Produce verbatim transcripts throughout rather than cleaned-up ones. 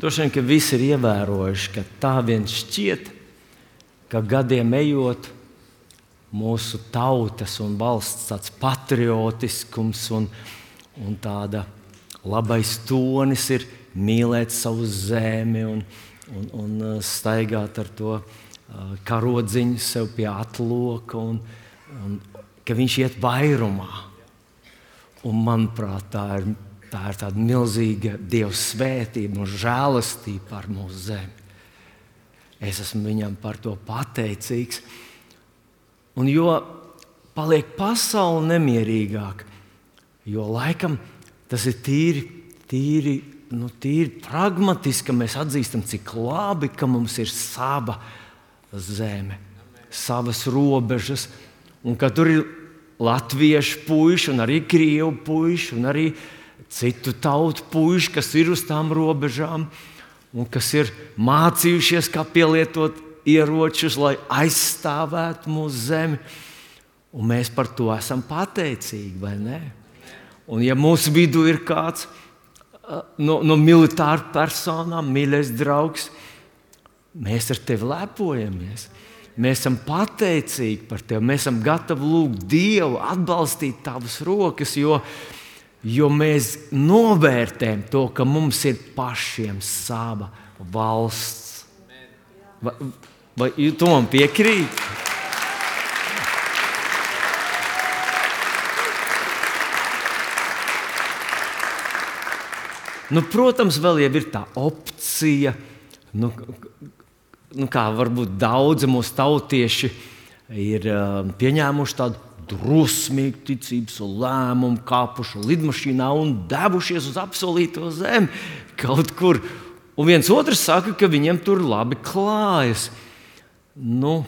Droši vien, ka visi ir ievērojuši, ka tā vien šķiet, ka gadiem ejot, mūsu tautas un valsts tāds patriotiskums un, un tāda labais tonis ir mīlēt savu zemi un, un, un staigāt ar to karodziņu sev pie atloka, un, un ka viņš iet vairumā. Un, manuprāt, tā ir, tā ir tāda milzīga Dieva svētība un žēlastība par mūsu zemi. Es esmu viņam par to pateicīgs. Un jo paliek pasaule nemierīgāk, jo laikam tas ir tīri, tīri, nu, tīri pragmatiski, ka mēs atzīstam, cik labi, ka mums ir sava zeme, savas robežas, un ka tur ir latviešu puiši, un arī krievu puiši, un arī citu tautu puiši, kas ir uz tām robežām, un kas ir mācījušies, kā pielietot ieročus, lai aizstāvētu mūsu zemi. Un mēs par to esam pateicīgi, vai ne? Un ja mūsu vidū ir kāds no, no militāru personām, mīļais draugs, mēs ar tevi lepojamies. Mēs esam pateicīgi par tevi. Mēs esam gatavi lūgt Dievu, atbalstīt tavas rokas, jo, jo mēs novērtējam to, ka mums ir pašiem sava valsts. Vai, vai tu man piekrīti? Nu, protams, vēl jau ir tā opcija, nu, nu, kā varbūt daudzi mūsu tautieši ir uh, pieņēmuši tādu drosmīgu ticības lēmumu, kāpuši lidmašīnā un devušies uz apsolīto zemi kaut kur. Un viens otrs saka, ka viņiem tur labi klājas. Nu,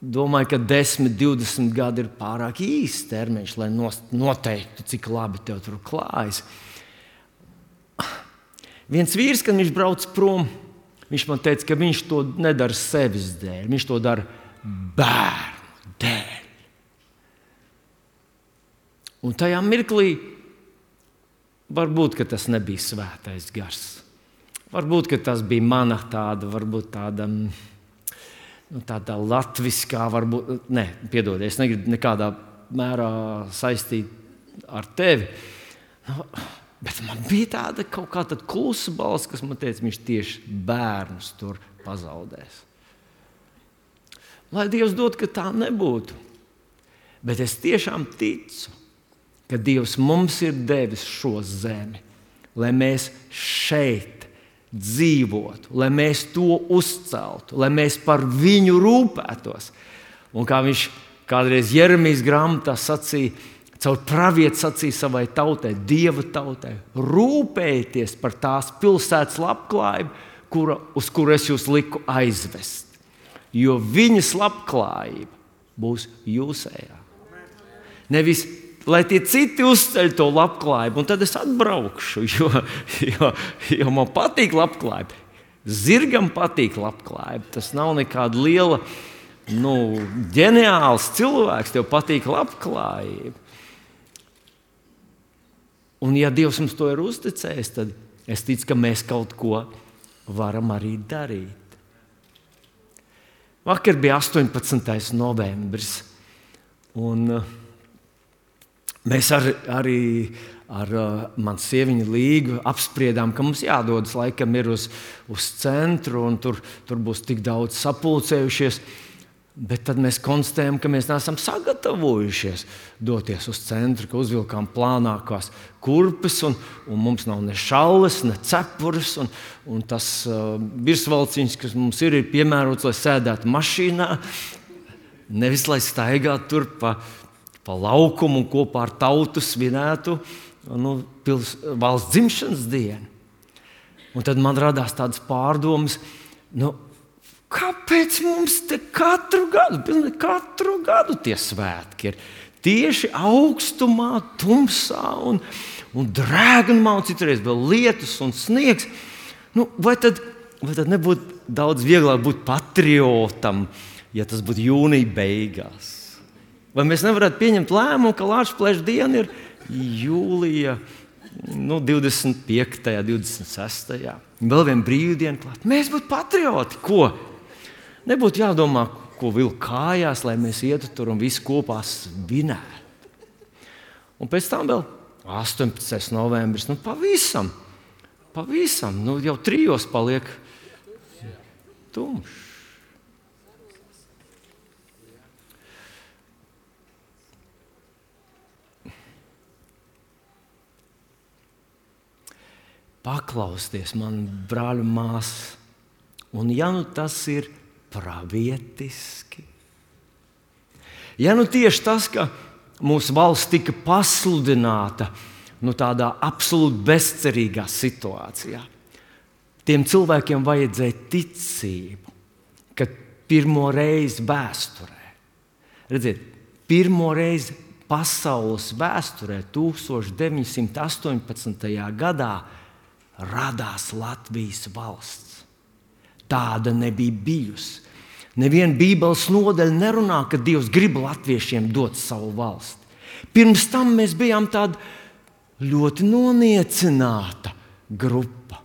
domāju, ka desmit, divdesmit gadi ir pārāk īsts termiņš, lai noteiktu, cik labi tev tur klājas. Viens vīrs, kad viņš brauc prom, viņš man teica, ka viņš to nedara sevis dēļ, viņš to dara bērnu dēļ. Un tajā mirklī varbūt, ka tas nebija svētais gars. Varbūt, ka tas bija mana tāda, varbūt tāda, nu, tāda latviskā, varbūt, ne, piedod, es negribu nekādā mērā saistīt ar tevi. Nu, bet man bija tāda kaut kā tāda klusa balss, kas man teica, viņš tieši bērnus tur pazaudēs. Lai Dievs dod, ka tā nebūtu. Bet es tiešām ticu, ka Dievs mums ir devis šo zemi, lai mēs šeit dzīvotu, lai mēs to uzceltu, lai mēs par viņu rūpētos. Un kā viņš kādreiz Jeremijas grāmatā sacīja, caur pravietu sacīja savai tautai, Dieva tautai, rūpējieties par tās pilsētas labklājību, kura, uz kuru es jūs liku aizvest. Jo viņas labklājība būs jūsējā. Nevis, lai tie citi uzceļ to labklājību, un tad es atbraukšu, jo, jo, jo man patīk labklājība. Zirgam patīk labklājība. Tas nav nekāda liela, nu, ģeniāls cilvēks, tev patīk labklājība. Un ja Dievs mums to ir uzticējis, tad es ticu, ka mēs kaut ko varam arī darīt. Vakar bija astoņpadsmitais novembris, un mēs ar, arī ar manu sieviņu Līgu apspriedām, ka mums jādodas laikam ir uz, uz centru, un tur, tur būs tik daudz sapulcējušies. Bet tad mēs konstatējam, ka mēs neesam sagatavojušies doties uz centru, ka uzvilkām plānākās kurpes, un, un mums nav ne šalles, ne cepures, un, un tas uh, virsvalciņš, kas mums ir, ir piemērots, lai sēdētu mašīnā, nevis lai staigātu tur pa, pa laukumu un kopā ar tautu svinētu nu, pils, valsts dzimšanas dienu. Un tad man radās tādas pārdomas, nu, kāpēc mums te katru gadu, pilnīgi katru gadu tie svētki ir tieši augstumā, tumsā un, un drēgnumā, un citreiz vēl lietus un sniegs? Nu, vai tad, vai tad nebūtu daudz vieglāk būt patriotam, ja tas būtu jūnija beigās? Vai mēs nevarētu pieņemt lēmumu, ka Lāčplēša diena ir jūlija nu, divdesmit piektajā, divdesmit sestajā Vēl viena brīvdiena klāt. Mēs būtu patrioti. Ko? Nebūtu jādomā, ko vilkt kājās, lai mēs ietu tur un visi kopā svinētu. Un pēc tam vēl astoņpadsmitais novembris Nu, pavisam, pavisam, nu, jau trijos paliek tumšs. Paklausties man, brāļu māsas, un ja nu tas ir pravietiski, ja nu tieši tas, ka mūsu valsts tika pasludināta nu, tādā absolūti bezcerīgā situācijā, tiem cilvēkiem vajadzēja ticību, ka pirmo reizi vēsturē, redziet, pirmo reizi pasaules vēsturē tūkstoš deviņsimt astoņpadsmitajā gadā radās Latvijas valsts. Tāda nebija bijusi. Neviena Bībeles nodaļa nerunā, ka Dievs grib latviešiem dot savu valsti. Pirms tam mēs bijām tāda ļoti noniecināta grupa.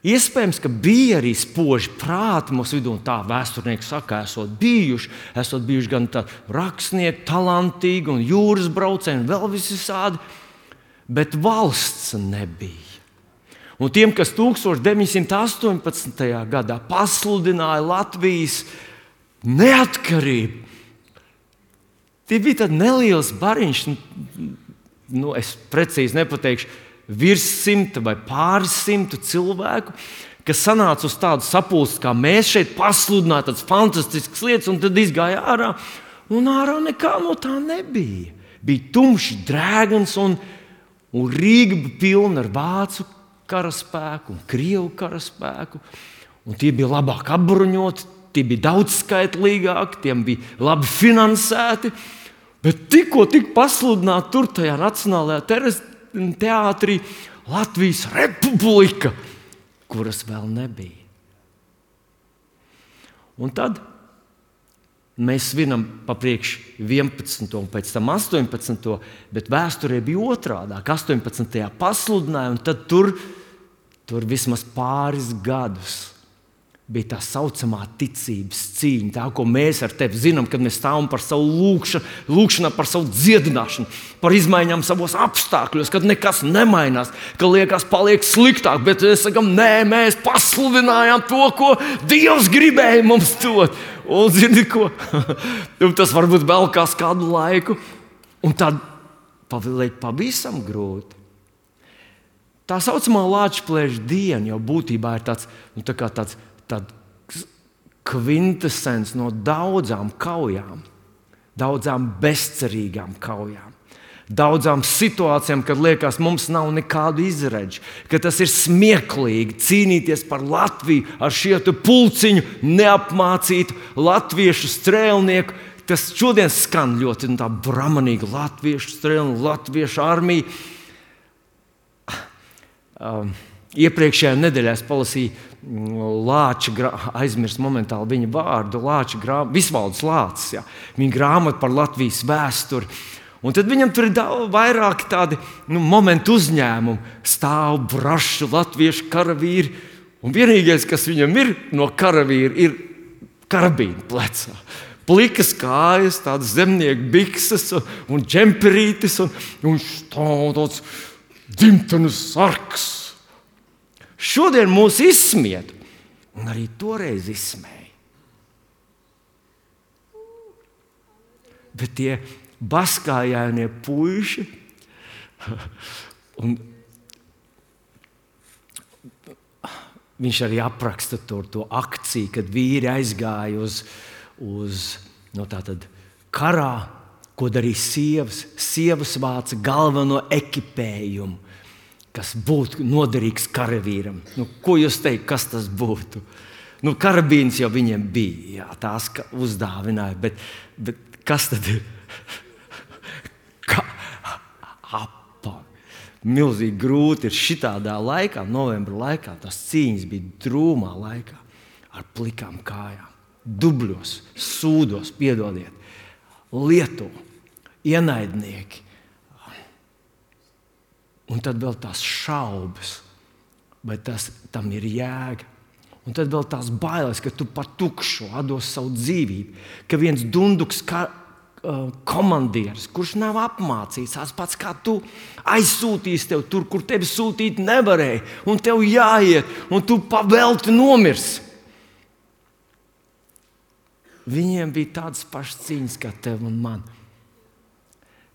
Iespējams, ka bija arī spoži prāti mūsu vidū, un tā vēsturnieki saka, esot bijuši, esot bijuši gan rakstnieki, talantīgi un jūras braucēji, un vēl visādi, bet valsts nebija. Un tiem, kas tūkstoš deviņsimt astoņpadsmitajā gadā pasludināja Latvijas neatkarību, tie bija tāds neliels bariņš, nu, es precīzi nepateikšu, virs simta vai pāris simtu cilvēku, kas sanāca uz tādu sapulci, kā mēs šeit pasludinājām, tādas fantastiskas lietas, un tad izgāja ārā, un ārā nekā no tā nebija. Bija tumšs drēgns, un, un Rīga bija pilna ar vācu karaspēku un krievu karaspēku, un tie bija labāk apbruņoti, tie bija daudz skaitlīgāki, tiem bija labi finansēti, bet tikko tika pasludināta tur tajā Nacionālajā teātrī Latvijas Republika, kuras vēl nebija. Un tad mēs svinam pa priekš vienpadsmito un pēc tam astoņpadsmito bet vēsturē bija otrādāk. astoņpadsmitajā pasludināja, un tad tur Tur vismaz pāris gadus bija tā saucamā ticības cīņa. Tā, ko mēs ar tevi zinām, kad mēs stāvam par savu lūkšanu, lūkšanā par savu dziedināšanu, par izmaiņām savos apstākļos, kad nekas nemainās, ka liekas paliek sliktāk, bet mēs sakām, nē, mēs pasludinājām to, ko Dievs gribēja mums dot. Un zini ko? Tas varbūt vēl kādu laiku, un tad paliek pavisam grūti. Tā saucamā Lāčplēša diena jau būtībā ir tāds, nu, tā kā tāds, tāds kvintesens no daudzām kaujām, daudzām bezcerīgām kaujām, daudzām situācijām, kad liekas, mums nav nekādu izredzi, ka tas ir smieklīgi cīnīties par Latviju ar šietu pulciņu neapmācītu latviešu strēlnieku. Tas šodien skan ļoti tā bramanīgi latviešu strēlnieku, latviešu armija. Um, iepriekšējā nedēļā es palasīju Lāča, aizmirsu momentāli viņa vārdu, Lāča grāmatu, Visvalds Lācis, jā, viņa grāmatu par Latvijas vēsturi. Un tad viņam tur ir daudz, vairāk tādi nu, momentu uzņēmumi, stāv brašu latviešu karavīri, un vienīgais, kas viņam ir no karavīra, ir karabīna plecā. Plikas kājas, tādas zemnieku bikses un, un džemperītis, un, un stāv tāds dzimtenes sargs. Šodien mūs izsmied, un arī toreiz izsmēja. Bet tie baskājainie puiši, un viņš arī apraksta to, to akciju, kad vīri aizgāja uz, uz no tātad karā, ko darīja sievas. Sievas vāca galveno ekipējumu, kas būtu noderīgs karavīram. Nu, ko jūs teikt, kas tas būtu? Nu, karabīns jau viņiem bija, jā, tās uzdāvināja, bet, bet kas tad ir? Ka, apa. Milzīgi grūti ir šitādā laikā, novembra laikā, tās cīņas bija drūmā laikā, ar plikām kājām, dubļos, sūdos, piedodiet, Lietuva. Ienaidnieki. Un tad vēl tās šaubas, vai tas, tam ir jēga. Un tad vēl tās bailes, ka tu par tukšu atdos savu dzīvību, ka viens dunduks kā, uh, komandieris, kurš nav apmācīts, tās pats kā tu, aizsūtīs tev tur, kur tevi sūtīt nevarēja, un tev jāiet, un tu pavelti nomirsi. Viņiem bija tādas pašas cīņas kā tev un man.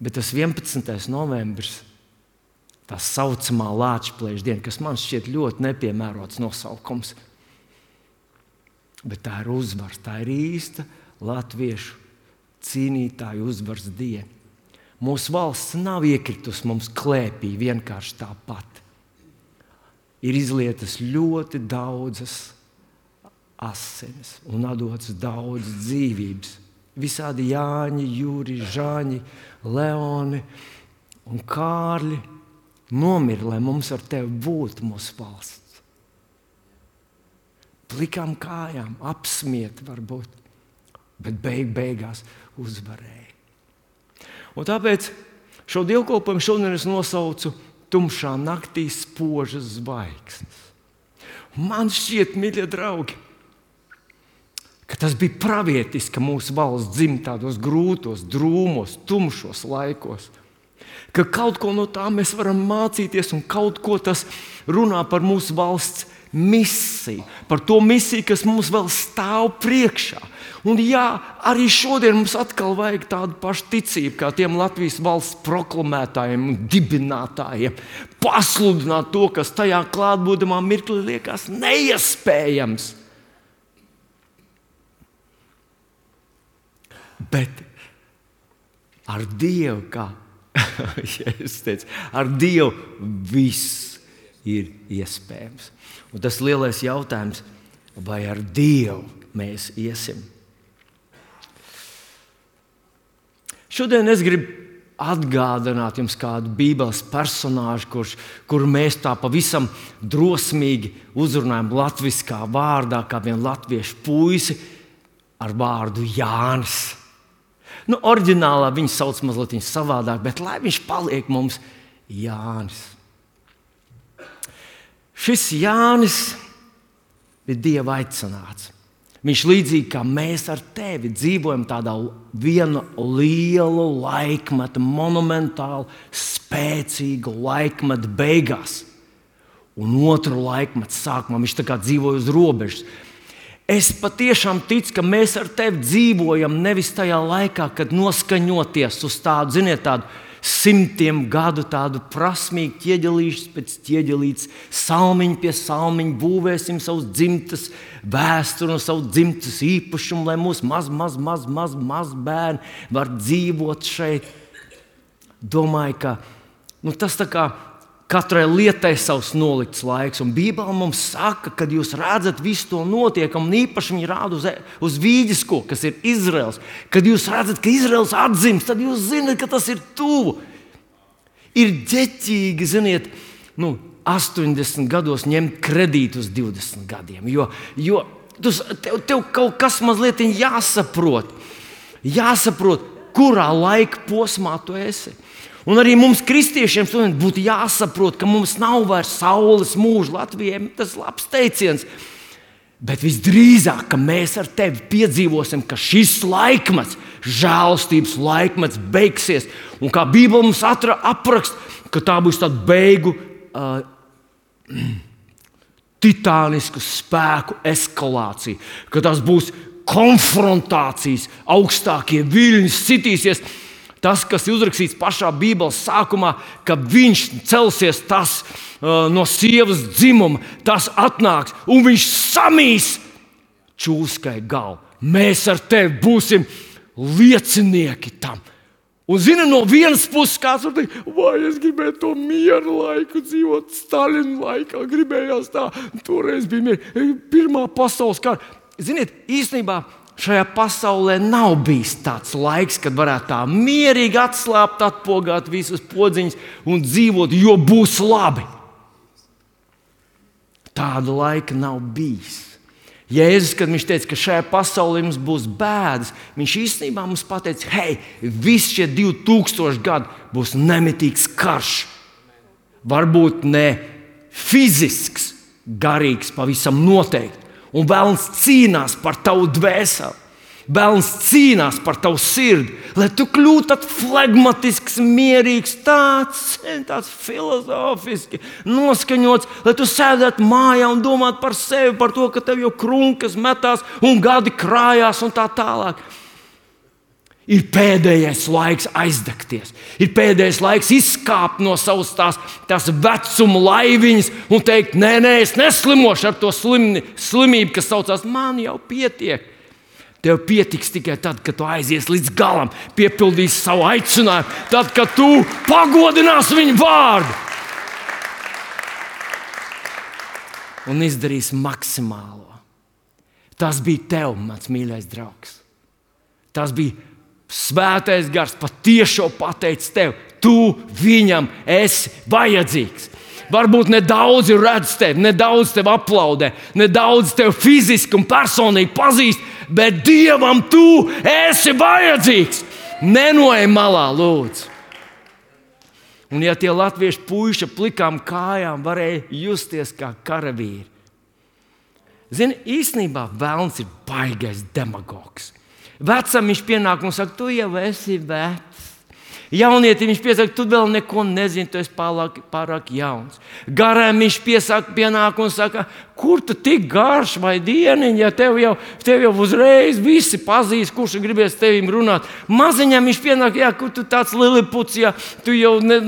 Bet tas vienpadsmitais novembris, tā saucamā Lāčplēša diena, kas man šķiet ļoti nepiemērots nosaukums. Bet tā ir uzvars, tā ir īsta latviešu cīnītāju uzvaras diena. Mūsu valsts nav iekritusi mums klēpī vienkārši tāpat. Ir izlietas ļoti daudzas asinis un atdotas daudz dzīvības. Visādi Jāņi, Jūri, Žaņi, Leoni un Kārļi nomira, lai mums ar tevi būtu mūsu valsts. Plikām kājām, apsmiet varbūt, bet beig beigās uzvarēja. Un tāpēc šo dievkalpojumu šodien es nosaucu Tumšā naktī spožas zvaigznes. Man šķiet, mīļie draugi, ka tas bija pravietiski, ka mūsu valsts dzim tādos grūtos, drūmos, tumšos laikos. Ka kaut ko no tā mēs varam mācīties un kaut ko tas runā par mūsu valsts misiju, par to misiju, kas mums vēl stāv priekšā. Un jā, arī šodien mums atkal vajag tādu pašu ticību, kā tiem Latvijas valsts proklamētājiem un dibinātājiem. Pasludināt to, kas tajā klātbūtamā mirklī liekas neiespējams. Bet ar Dievu, kā ja es teicu, ar Dievu viss ir iespējams. Un tas lielais jautājums, vai ar Dievu mēs iesim? Šodien es gribu atgādināt jums kādu Bībeles personāžu, kurš, kuru mēs tā pavisam drosmīgi uzrunājam latviskā vārdā, kā vienu latviešu puisi ar vārdu Jānis. Nu, oriģinālā viņu sauc mazliet savādāk, bet lai viņš paliek mums Jānis. Šis Jānis bija Dieva aicināts. Viņš līdzīgi kā mēs ar tevi dzīvojam tādā vienu lielu laikmetu, monumentālu, spēcīgu laikmetu beigās. Un otru laikmetu sākumā viņš tā kā dzīvoja uz robežas. Es patiešām ticu, ka mēs ar tevi dzīvojam nevis tajā laikā, kad noskaņoties uz tādu, ziniet, tādu simtiem gadu tādu prasmīgu ķieģelīšu pēc ķieģelītes, salmiņu pie salmiņu, būvēsim savus dzimtas vēsturi un savu dzimtas īpašumu, lai mūsu maz, maz, maz, maz, maz bērni var dzīvot šeit. Domāju, ka nu, tas tā kā katrai lietai savs nolikts laiks, un Bībele mums saka, kad jūs redzat visu to notiekam, un īpaši viņi rāda uz, uz vīģisko, kas ir Izraels. Kad jūs redzat, ka Izraels atdzimst, tad jūs zināt, ka tas ir tuvu. Ir ģeķīgi, ziniet, nu, astoņdesmit gados ņemt kredītu uz divdesmit gadiem, jo, jo tev, tev kaut kas mazliet jāsaprot, jāsaprot, kurā laika posmā tu esi. Un arī mums, kristiešiem, būtu jāsaprot, ka mums nav vairs saules mūža. Latvijai tas ir labs teiciens. Bet visdrīzāk, ka mēs ar tevi piedzīvosim, ka šis laikmets, žēlstības laikmets, beigsies. Un kā Bībele mums atra, apraksta, ka tā būs tāda beigu uh, titānisku spēku eskalācija. Ka tas būs konfrontācijas, augstākie viļņi sitīsies. Tas, kas ir uzrakstīts pašā Bībeles sākumā, ka viņš celsies tas uh, no sievas dzimuma, tas atnāks un viņš samīs čūskai galvu. Mēs ar tevi būsim liecinieki tam. Un zini, no vienas puses kāds var teikt, vai es gribēju to mieru laiku dzīvot, Stalina laikā, gribējās tā, toreiz bija miera, pirmā pasaules kara. Ziniet, īstenībā šajā pasaulē nav bijis tāds laiks, kad varētu tā mierīgi atslābt, atpogāt visas podziņas un dzīvot, jo būs labi. Tāda laika nav bijis. Jēzus, kad viņš teica, ka šajā pasaulē mums būs bēdas, viņš īstenībā mums pateica, hei, visi šie divi tūkstoši gadi būs nemitīgs karš. varbūt ne fizisks, garīgs, pavisam noteikti. Un Velns cīnās par tavu dvēseli. Velns cīnās par tavu sirdi, lai tu kļūtu tāds flegmatisks, mierīgs, tāds, tāds filozofiski noskaņots, lai tu sēdētu mājā un domātu par sevi, par to, ka tev jau krunkas metās un gadi krājās un tā tālāk. Ir pēdējais laiks aizdegties. Ir pēdējais laiks izkāpt no savas tās, tās vecuma laiviņas un teikt, nē, nē, es neslimošu ar to slimni, slimību, kas saucās, man jau pietiek. Tev pietiks tikai tad, kad tu aizies līdz galam, piepildīsi savu aicinājumu, tad, kad tu pagodināsi viņu vārdu un izdarīsi maksimālo. Tas bija tev, mans mīļais draugs. Tas bija Svētais Gars patiešo pateicis tev. Tu viņam esi vajadzīgs. Varbūt nedaudz redz tevi, nedaudz tevi aplaudē, nedaudz tevi fiziski un personīgi pazīst, bet Dievam tu esi vajadzīgs. Nenoej malā, lūdzu. Un ja tie latviešu puiši plikām kājām varēja justies kā karavīri. Zini, īstenībā Velns ir baigais demagogs. Vecam viņš pienāk un saka, tu jau esi vecs. Jaunietim viņš piesaka, tu vēl neko nezini, tu esi pārāk, pārāk jauns. Garām viņš piesaka, pienāk un saka, kur tu tik garš vai dieniņ, ja tev jau, tev jau uzreiz visi pazīst, kurš gribēs tevim runāt. Maziņam viņš pienāk, jā, kur tu tāds liliputs, ja tu jau, ne,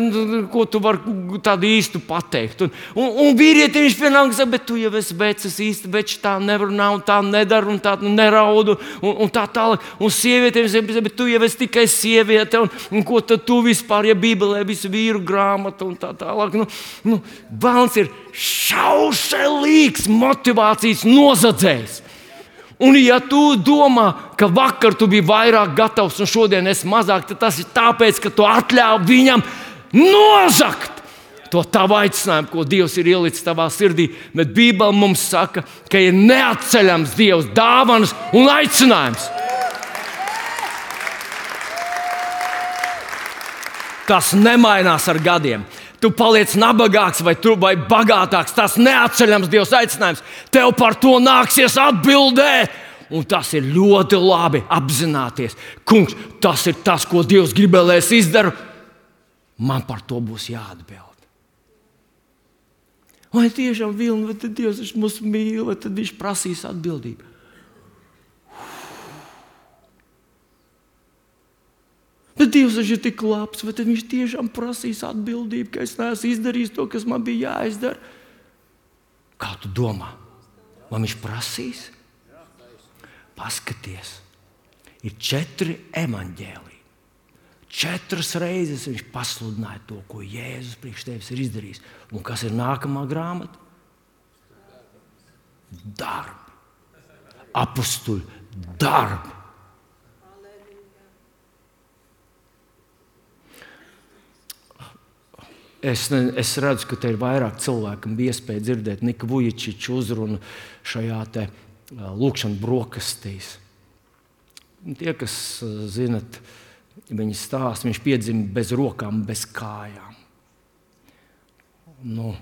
ko tu vari tādu īstu pateikt. Un, un, un vīrietim viņš pienāk un saka, bet tu jau esi vecs, es īsti vecs, tā nevar un tā nedara un tā neraudu un, un tā tālāk. Un sievietiem viņš saka, bet tu jau esi tikai sieviete un, un ko tad tu vispār, ja Bībelē visu vīru grāmatu un tā tālāk. Nu, nu, Velns ir šaušalīgs motivācijas nozadzējs. Un ja tu domā, ka vakar tu biji vairāk gatavs un šodien esi mazāk, tad tas ir tāpēc, ka tu atļāvi viņam nozagt to tavu aicinājumu, ko Dievs ir ielicis tavā sirdī. Bet Bībele mums saka, ka ir neatceļams Dievs dāvanas un aicinājums. Tas nemainās ar gadiem. Tu paliec nabagāks vai, tu, vai bagātāks. Tas neatceļams Dievs aicinājums. Tev par to nāksies atbildēt. Un tas ir ļoti labi apzināties. Kungs, tas ir tas, ko Dievs gribēja, lai es izdaru. Man par to būs jāatbild. Vai tiešām Vilni, vai tad Dievs mūs mīl, vai tad viņš prasīs atbildību? Bet Dievs ir tik labs, vai tad viņš tiešām prasīs atbildību, ka es neesmu izdarījis to, kas man bija jāizdara? Kā tu domā? Vai viņš prasīs? Paskaties, ir četri evaņģēliji. Četras reizes viņš pasludināja to, ko Jēzus priekš tevis ir izdarījis. Un kas ir nākamā grāmata? Darbi. Apustuļu darbi. Es, ne, es redzu, ka te ir vairāk cilvēku, kam bija iespēja dzirdēt Nika Vujičiča uzrunu šajā te lūkšanu brokastīs. Tie, kas zinat, viņi stāsta, viņš piedzima bez rokām, bez kājām. Nu,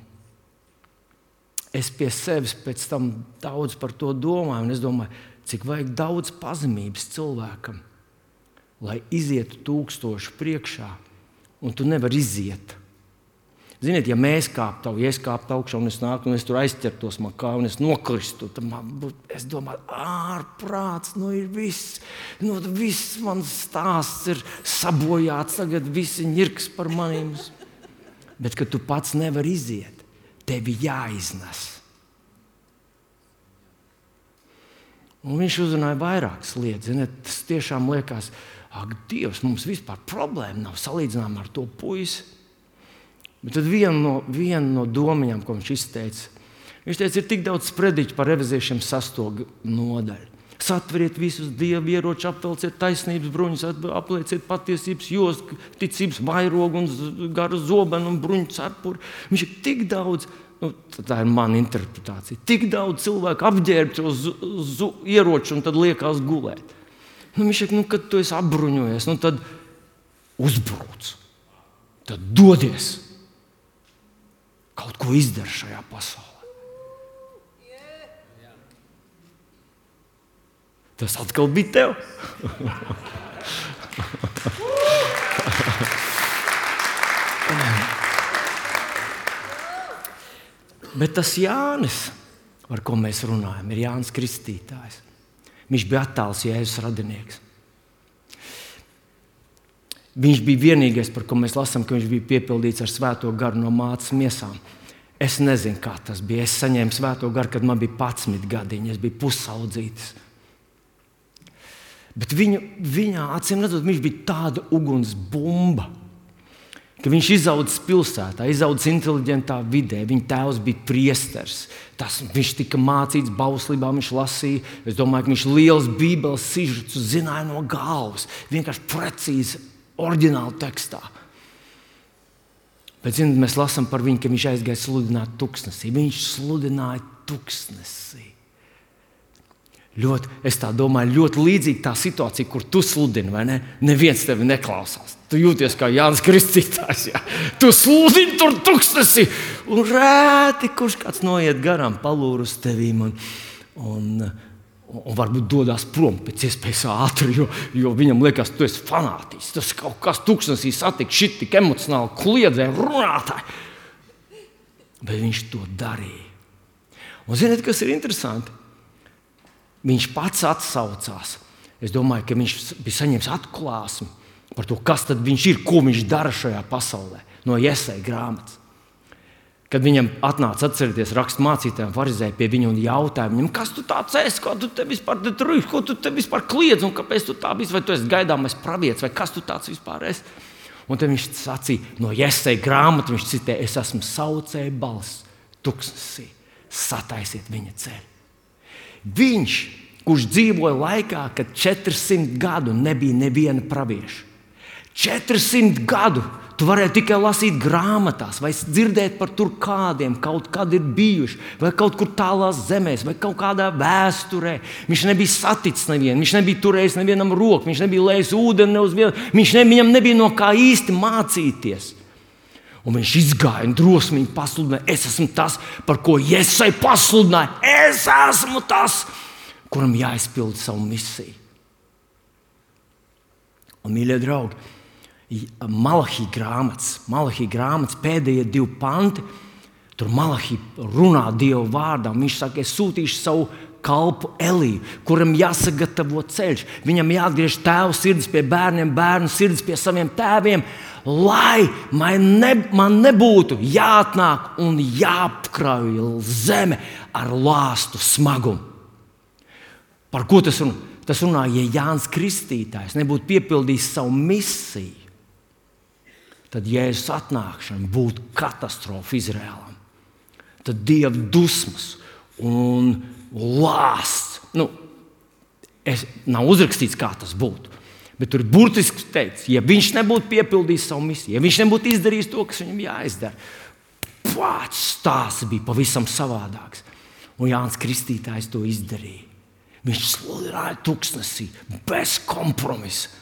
es pie sevis pēc tam daudz par to domāju, un es domāju, cik vajag daudz pazemības cilvēkam, lai izietu tūkstošu priekšā, un tu nevar iziet. Ziniet, ja mēs kāptu, ja es kāptu augšā un es nāku, un es tur aizķertos man kā, un es nokristu, tad man būtu, es domāju, ārprāts, nu ir viss, nu viss mans stāsts ir sabojāts, tagad visi ņirks par maniem. Bet, kad tu pats nevar iziet, tevi jāiznes. Un viņš uzrunāja vairākas lietas, ziniet, tas tiešām liekas, ak, Dievs, mums vispār problēma nav salīdzinām ar to puisi. Bet tad viena no, viena no domiņām, ko viņš izteica, viņš teica, ir tik daudz sprediķu par efeziešiem sesto nodaļu. Satveriet visus dievu ieročus, apvelciet taisnības bruņus, aplieciet patiesības jostu, ticības vairogu un garu zobenu un bruņu cepuri. Viņš ir tik daudz, nu, tā ir mana interpretācija, tik daudz cilvēku apģērbt uz ieroču un tad liekās gulēt. Nu, viņš saka, nu, kad tu esi apbruņojies, nu, tad uzbrūc, tad dodies. kaut ko izdara šajā pasaulē. Tas atkal bija tev. Bet tas Jānis, par ko mēs runājam, ir Jānis Kristītājs. Viņš bija attāls Jēzus radinieks. Viņš bija vienīgais, par ko mēs lasām, ka viņš bija piepildīts ar Svēto garu no mātes miesām. Es nezinu, kā tas bija. Es saņēmu Svēto garu, kad man bija padsmit gadiņi. Es biju pusaudzītis. Bet viņu, viņā, acīm redzot, viņš bija tāda uguns bumba, ka viņš izaudzis pilsētā, izaudzis inteliģentā vidē. Viņa tēvs bija priesteris. Tas, viņš tika mācīts bauslībā, viņš lasīja. Es domāju, ka viņš liels bībeles sižets zināja no galvas. Vienkārši precīzi, oriģināli tekstā. Bet, zināt, mēs lasām par viņu, ka viņš aizgāja sludināt tuksnesī. Viņš sludināja tuksnesī. Ļoti, es tā domāju, ļoti līdzīga tā situācija, kur tu sludini, vai ne? Neviens tevi neklausās. Tu jūties kā Jānis Kristītājs. Jā. Tu sludini tur tuksnesī, un rēti, kurš kāds noiet garām, palūr uz tevīm un, un, un varbūt dodas prom pēc iespējas ātri, jo, jo viņam liekas, tu esi fanātis. Tas kaut kas tuksnesī satika, šit tik emocionāli kliedzē, runātāji. Bet viņš to darīja. Un ziniet, kas ir interesanti? Viņš pats atsaucās. Es domāju, ka viņš bija saņēmis atklāsmi par to, kas tad viņš ir, ko viņš dara šajā pasaulē, no Jesaja grāmatas. Kad viņam atnāca atcerieties rakstmācītājiem, farizēji pie viņa un jautāja viņam, kas tu tāds esi, kā tu te vispār te tur, ko tu te vispār kliedz un kāpēc tu tā biji, vai tu esi gaidāmais pravietis, vai kas tu tāds vispār esi. Un tad viņš sacīja, no Jesaja grāmatas viņš citē, es esmu saucēja balss tuksnesī, sataisiet viņa ceļu. Viņš, kurš dzīvoja laikā, kad četrsimt gadu nebija neviena pravieša. četrsimt gadu tu varēji tikai lasīt grāmatās, vai dzirdēt par tur kādiem, kaut kad ir bijuši, vai kaut kur tālās zemēs, vai kaut kādā vēsturē. Viņš nebija saticis nevienu, viņš nebija turējis nevienam roku, viņš nebija lējis ūdeni ne uz vienu, viņš ne, viņam nebija no kā īsti mācīties. Un viņš izgāja un drosmīgi pasludināja, es esmu tas, par ko Jesaja pasludināja. Es esmu tas, kuram jāizpilda savu misiju. Un, mīļie draugi, Malahija grāmatas, Malahija grāmatas pēdējie divi panti, tur Malahija runā Dievu vārdā. Viņš saka, es sūtīšu savu kalpu Eliju, kuram jāsagatavo ceļš. Viņam jāatgriež tēva sirds pie bērniem, bērnu sirds pie saviem tēviem, lai man, ne, man nebūtu jāatnāk un jāapkrauj zeme ar lāstu smagumu. Par ko tas runā? Tas runā, ja Jānis Kristītājs nebūtu piepildījis savu misiju, tad Jēzus atnākšana būtu katastrofa Izrēlam. Tad Dieva dusmas un lāsts. Nu, es, nav uzrakstīts, kā tas būtu. Bet tur ir burtiski teikts, ja viņš nebūtu piepildījis savu misiju, ja viņš nebūtu izdarījis to, kas viņam jāizdara, pats stāsts bija pavisam savādāks. Un Jānis Kristītājs to izdarīja. Viņš sludināja tuksnesī bez kompromisa.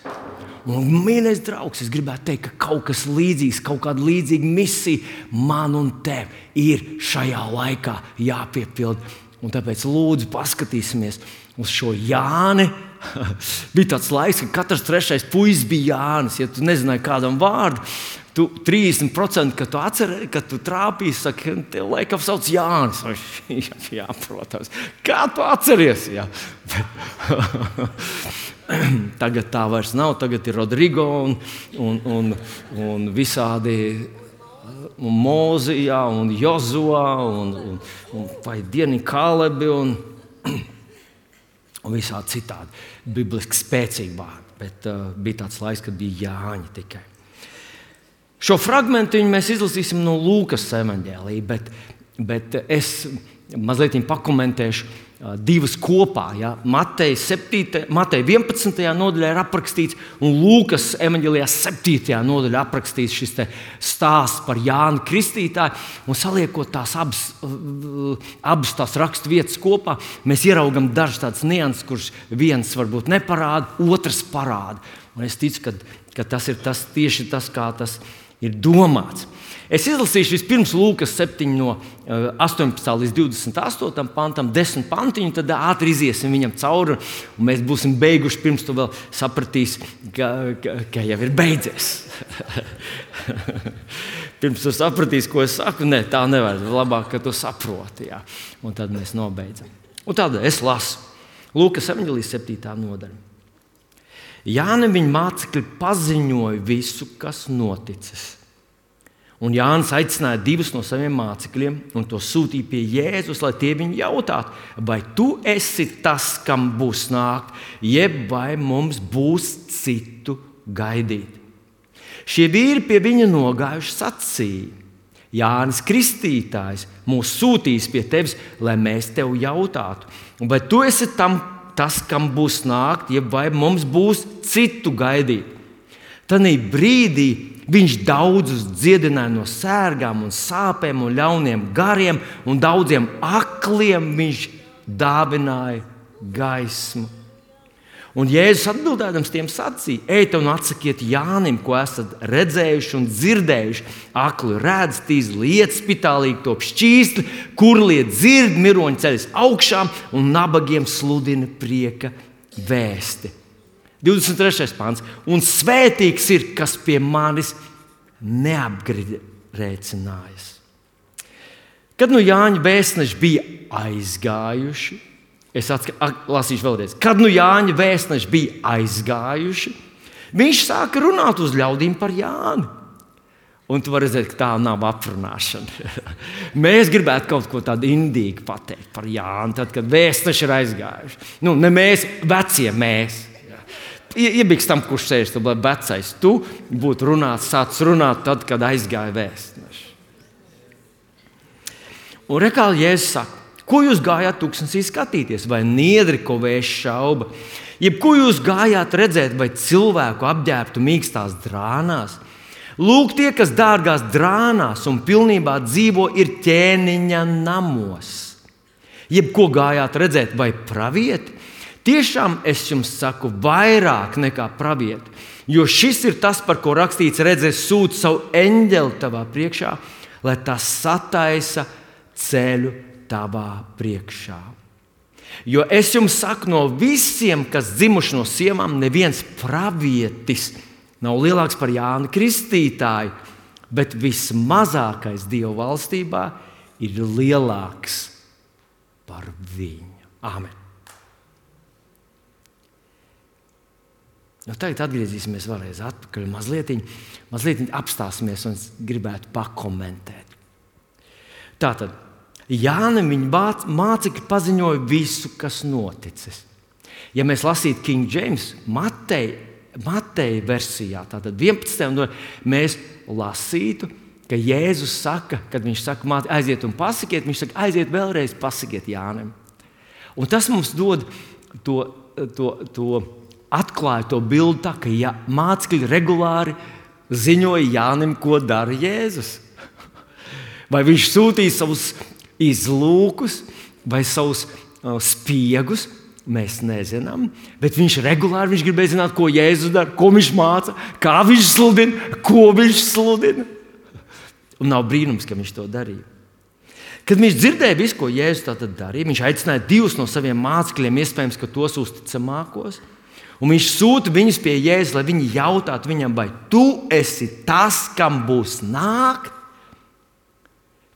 Un, mīļais draugs, es gribētu teikt, ka kaut kas līdzīgs, kaut kāda līdzīga misija man un tev ir šajā laikā jāpiepild. Un tāpēc lūdzu paskatīsimies uz šo Jāni. Bija tāds laiks, ka katrs trešais puisis bija Jānis. Ja tu nezināji kādam vārdu, tu trīsdesmit procenti, kad tu atceries, kad tu trāpīji, saka, tev laikam sauc Jānis. Jā, jā, protams. Kā tu atceries? Jā. Tagad tā vairs nav. Tagad ir Rodrigo un, un, un, un visādi un Mozijā un Jozuā un, un, un vai dieni Kālebi un, un visādi citādi. Bibliski spēcīgi vārdi, bet uh, bija tāds laiks, kad bija Jāņi tikai. Šo fragmentu mēs izlasīsim no Lūkas evaņģēlija, bet, bet es mazliet pakomentēšu uh, divas kopā. Ja? Mateja vienpadsmitajā nodaļā ir aprakstīts, un Lūkas evaņģēlijā septītajā nodaļā aprakstīts šis stāsts par Jānu Kristītāju. Un saliekot tās abas, uh, abas tās rakstu vietas kopā, mēs ieraugam dažas tādas nianses, kuras viens varbūt neparāda, otrs parāda. Un es ticu, ka, ka tas ir tas, tieši tas, kā tas ir domāts. Es izlasīšu vispirms Lūkas septiņi no astoņpadsmitā līdz divdesmit astotam pantam, desmit pantiņu, tad ātri iziesim viņam cauri, un mēs būsim beiguši, pirms tu vēl sapratīsi, ka, ka, ka jau ir beidzies. Pirms tu sapratīsi, ko es saku, ne, tā nevar, labāk, ka tu saproti, jā. Un tad mēs nobeidzam. Un tad es lasu Lūkas evaņģēlijas septītā nodaļa. Jānim viņa mācekļi paziņoja visu, kas noticis. Un Jānis aicināja divus no saviem mācekļiem un to sūtīja pie Jēzus, lai tie viņu jautātu, vai tu esi tas, kam būs nākt, jeb vai mums būs citu gaidīt. Šie vīri pie viņa nogājuši sacīja: Jānis Kristītājs mūs sūtīs pie tevis, lai mēs tev jautātu, vai tu esi tam, tas, kam būs nākt, jeb vai mums būs citu gaidīt. Tanī brīdī viņš daudzus dziedināja no sērgām un sāpēm un ļauniem gariem, un daudziem akliem viņš dāvināja gaismu. Un Jēzus atbildēdams tiem sacīja: ejiet un atsakiet Jānim, ko esat redzējuši un dzirdējuši. Akli redz, tīzli iet, spitālīgi top šķīstli, kurlie dzird, miroņi ceļas augšām un nabagiem sludina prieka vēsti. divdesmit trešais pants. Un svētīgs ir, kas pie manis neapgrēcinājas. Kad nu Jāņa vēstneši bija aizgājuši, es lasīšu vēlreiz. Kad nu Jāņa vēstneši bija aizgājuši, viņš sāka runāt uz ļaudīm par Jāni. Un tu vari redzēt, ka tā nav aprunāšana. Mēs gribētu kaut ko tādu indīgu pateikt par Jāni, tad, kad vēstneši ir aizgājuši. Nu, ne mēs, vecie mēs. Iebiks tam, kurš sēž, tu, lai vecais tu būtu runāts, sācis runāt tad, kad aizgāja vēstneši. Un rekā Jēzus saka: ko jūs gājāt tūkstnesī skatīties, vai niedri, ko vējš šauba? Jeb ko jūs gājāt redzēt, vai cilvēku apģērbtu mīkstās drānās? Lūk, tie, kas dārgās drānās un pilnībā dzīvo, ir ķēniņa namos. Jeb ko gājāt redzēt, vai pravieti? Tiešām es jums saku, vairāk nekā pravieti, jo šis ir tas, par ko rakstīts: redzēs, sūta savu eņģeli tavā priekšā, lai tas sataisa ceļu tavā priekšā. Jo es jums saku, no visiem, kas dzimuši no sievām, neviens pravietis nav lielāks par Jāni Kristītāju, bet vismazākais Dieva valstībā ir lielāks par viņu. Āmen. Nu, tagad atgriezīsimies vēlreiz atpakaļ, mazliet, mazliet apstāsimies un gribētu pakomentēt. Tātad, Jānim viņa mācekļi paziņoja visu, kas noticis. Ja mēs lasītu King James Mateja, Mateja versijā, tātad vienpadsmitajā mēs lasītu, ka Jēzus saka, kad viņš saka, aiziet un pasakiet, viņš saka, aiziet vēlreiz pasakiet Jānim. Un tas mums dod to, to, to atklāja to bildi tā, ka ja, mācekļi regulāri ziņoja Jānim, ko dara Jēzus. Vai viņš sūtīja savus izlūkus vai savus uh, spiegus, mēs nezinām. Bet viņš regulāri viņš gribēja zināt, ko Jēzus dara, ko viņš māca, kā viņš sludina, ko viņš sludina. Un nav brīnums, ka viņš to darīja. Kad viņš dzirdēja visu, ko Jēzus tātad darīja, viņš aicināja divus no saviem mācekļiem, iespējams, ka tos uzticamākos. Un viņš sūta viņus pie Jēzus, lai viņi jautātu viņam, vai tu esi tas, kam būs nākt,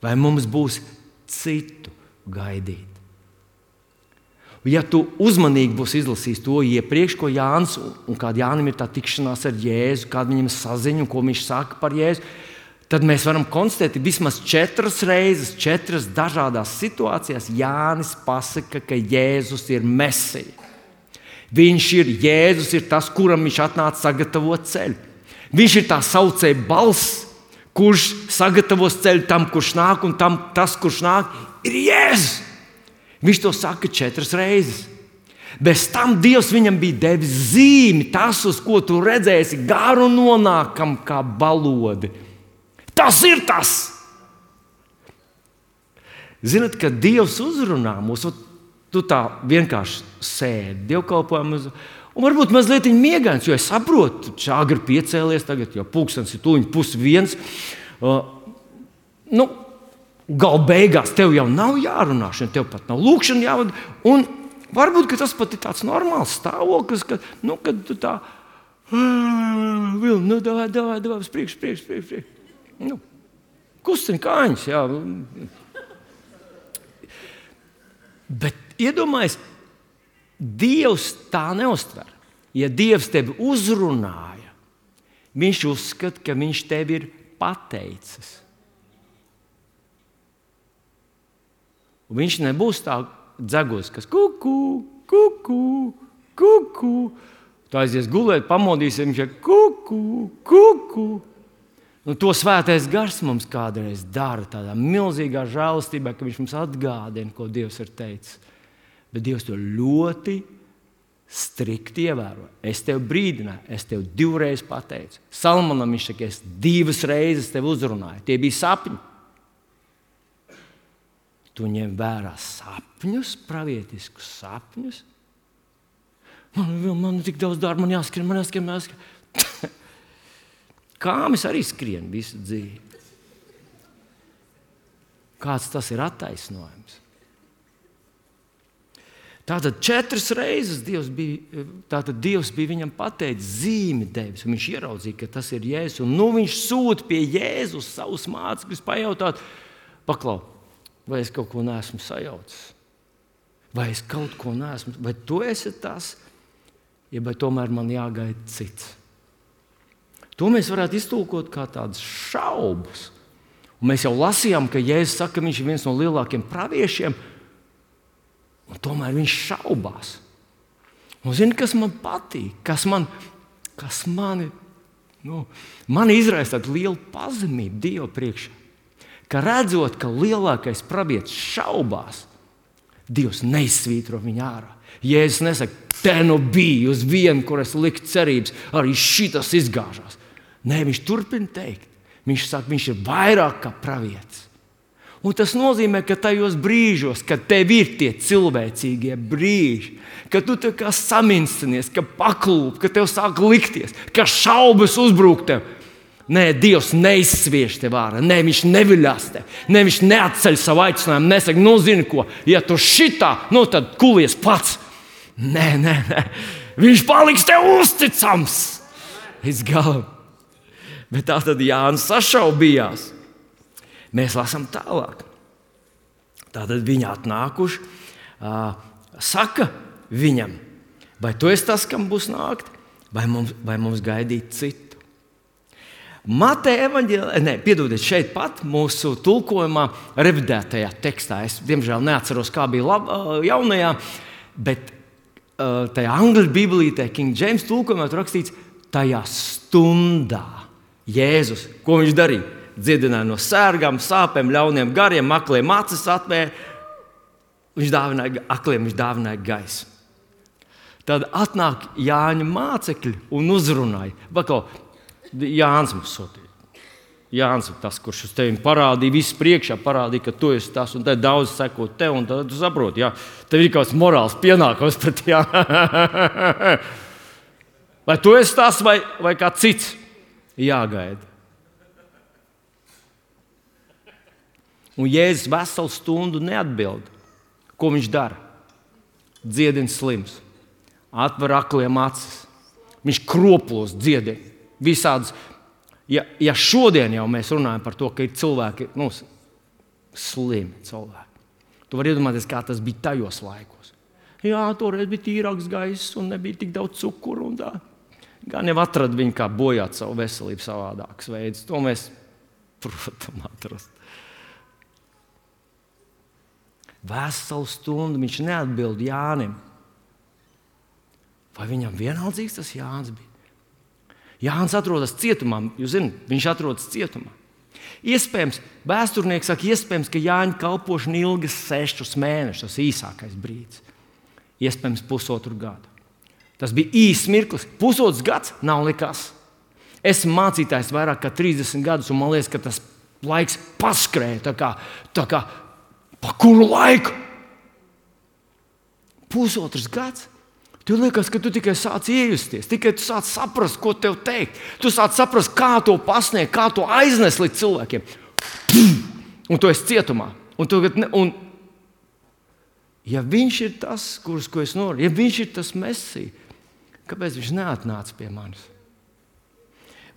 vai mums būs citu gaidīt. Ja tu uzmanīgi būsi izlasījis to iepriekš, ko Jānis un kāda Jānim ir tā tikšanās ar Jēzu, kāda viņam saziņa un ko viņš saka par Jēzu, tad mēs varam konstatēt, ka vismaz četras reizes, četras dažādās situācijās Jānis pasaka, ka Jēzus ir Mesija. Viņš ir Jēzus, ir tas, kuram viņš atnāca sagatavot ceļu. Viņš ir tā saucēja balss, kurš sagatavos ceļu tam, kurš nāk, un tam, tas, kurš nāk, ir Jēzus. Viņš to saka četras reizes. Bez tam Dievs viņam bija devis zīmi, tas, uz ko tu redzēsi, garu nonākam kā balodi. Tas ir tas! Zinat, ka Dievs uzrunā mūs, tu tā vienkārši sēdi dievkalpojumus, Un varbūt mazliet miegains, jo es saprotu, ka agri piecēlies, tagad jau pulkstenis ir tuliņ pus viens. Uh, nu, gal beigās tev jau nav jārunā, tev pat nav lūkšana jāvada. Un varbūt tas pat ir tāds normāls stāvoklis, ka, nu, kad tu tā, nu, davai, davai, davai, uz priekšu, priekšu, priekšu, priekšu. Nu, kustin kāņas, jā. Bet iedomājies, Dievs tā neuztver. Ja Dievs tevi uzrunāja, viņš uzskata, ka viņš tevi ir pateicis. Un viņš nebūs tā dzegos, kas kuku, kuku, kuku. Tā aizies gulēt, pamodīs, viņš ir kuku, kuku. Un to svētais gars mums kādreiz dara tādā milzīgā žēlastībā, ka viņš mums atgādina, ko Dievs ir teicis. Bet Dievs to ļoti strikti ievēro. Es tev brīdināju, es tev divreiz pateicu. Salmanam viņš saka, es divas reizes tev uzrunāju. Tie bija sapņi. Tu ņem vērā sapņus, pravietiskus sapņus. Man, man tik daudz darba, man jāskrien, man jāskrien, man jāskrien. Kāmis arī skrien visu dzīvi. Kāds tas ir attaisnojums? Tātad četras reizes Dievs bija, tātad Dievs bija viņam pateicis, zīmi devis, un viņš ieraudzīja, ka tas ir Jēzus. Un nu viņš sūta pie Jēzus savus mācekļus pajautāt, paklau, vai es kaut ko neesmu sajaucis? Vai es kaut ko neesmu, vai tu esi tas, ja vai tomēr man jāgaida cits? To mēs varētu iztulkot kā tādas šaubas. Un mēs jau lasījām, ka Jēzus saka, ka viņš ir viens no lielākiem praviešiem, un tomēr viņš šaubās. Un zini, kas man patīk, kas man, kas mani, nu, mani izraisa tādu lielu pazemību Dieva priekšā. Ka redzot, ka lielākais pravietis šaubās, Dievs neizsvītro viņu ārā. Jēzus nesaka, te nu bija uz vienu, kur es liku cerības, arī šitas izgāžās. Nē, viņš turpina teikt. Viņš saka, viņš ir vairāk kā pravietis. Un tas nozīmē, ka tajos brīžos, kad tev ir tie cilvēcīgie brīži, kad tu tā kā saminsties, ka paklūp, ka tev sāk likties, ka šaubas uzbrūk tev. Nē, Dievs neizsviež tev ārā, nē, viņš neviļās tev, nē, viņš neatceļ savu aicinājumu, nesaka, nu zini ko, ja tu šitā, nu tad kulies pats. Nē, nē, nē, viņš paliks tev uzticams līdz galam. Bet tā tad Jānis sašaubījās. Mēs lasām tālāk. Tātad viņi atnākuši, uh, saka viņam, vai tu esi tas, kam būs nākt, vai mums, vai mums gaidīt citu. Mateja evaņģēlijā, ne, piedodiet, šeit pat mūsu tulkojumā, revidētajā tekstā, es diemžēl neatceros, kā bija lab, uh, jaunajā, bet uh, tajā angļu bībelītē, King James tulkojumā rakstīts, tajā stundā Jēzus, ko viņš darīja? Dziedināja no sērgām, sāpēm, ļauniem gariem, akliem acis atvēra. Viņš dāvināja akliem, viņš dāvināja gaisu. Tad atnāk Jāņa mācekļi un uzrunāja. Bakau, Jānis mums sūtīja. Jānis ir tas, kurš uz tevi parādīja, viss priekšā parādīja, ka tu esi tas, un tad daudz seko tev, un tad tu saproti, jā, tev ir kāds morāls pienākums pret jā. Vai tu esi tas, vai, vai kā cits jāgaida. Un Jēzus veselu stundu neatbild. Ko viņš dara? Dziedina slims, atver akliem acis. Viņš kroplos dziedina visādas. Ja, ja šodien jau mēs runājam par to, ka ir cilvēki, nu, slimi cilvēki, tu vari iedomāties, kā tas bija tajos laikos. Jā, toreiz bija tīrāks gaiss un nebija tik daudz cukuru un tā. Gan jau atrada viņu, kā bojāt savu veselību savādākas veidus. To mēs, protams, atrast. Veselu stundu viņš neatbild Jānim. Vai viņam vienaldzīgs tas Jānis bija? Jānis atrodas cietumā, jūs zināt, viņš atrodas cietumā. Iespējams, vēsturnieks saka, iespējams, ka Jāņa kalpošana ilgas sešus mēnešus, tas īsākais brīdis. Iespējams, pusotru gadu. Tas bija īsts mirklis. Pusotrs gads nav nekas. Esmu mācītājs vairāk kā trīsdesmit gadus, un man liekas, ka tas laiks paskrēja tā kā, tā kā pa kuru laiku? Pusotrs gads. Tev liekas, ka tu tikai sāc iejusties, tikai tu sāc saprast, ko tev teikt. Tu sāc saprast, kā to pasniegt, kā to aiznest līdz cilvēkiem. Un tu esi cietumā. Un tu, un, ja viņš ir tas, kurus ko es noru, ja viņš ir tas Mesija, kāpēc viņš neatnāca pie manis?